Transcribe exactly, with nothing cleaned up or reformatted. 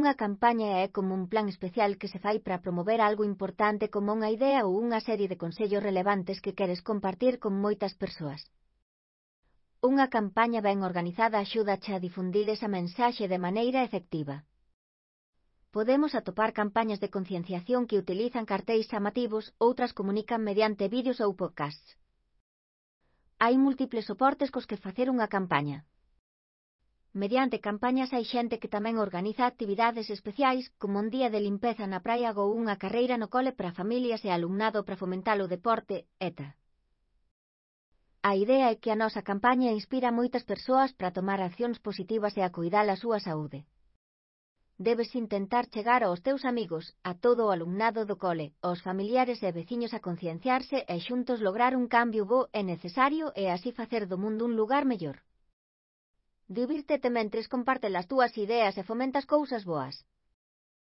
Unha campaña é como un plan especial que se fai para promover algo importante como unha idea ou unha serie de consellos relevantes que queres compartir con moitas persoas. Unha campaña ben organizada axúdache a difundir esa mensaxe de maneira efectiva. Podemos atopar campañas de concienciación que utilizan cartéis chamativos, outras comunican mediante vídeos ou podcasts. Hai múltiples soportes cos que facer unha campaña. Mediante campañas hai xente que tamén organiza actividades especiais, como un día de limpeza na praia ou unha carreira no cole para familias e alumnado para fomentar o deporte, etcétera. A idea é que a nosa campaña inspira a moitas persoas para tomar accións positivas e a cuidar a súa saúde. Debes intentar chegar aos teus amigos, a todo o alumnado do cole, aos familiares e veciños a concienciarse e xuntos lograr un cambio bo e necesario e así facer do mundo un lugar mellor. Divírtete mentres compartes as túas ideas e fomentas cousas boas.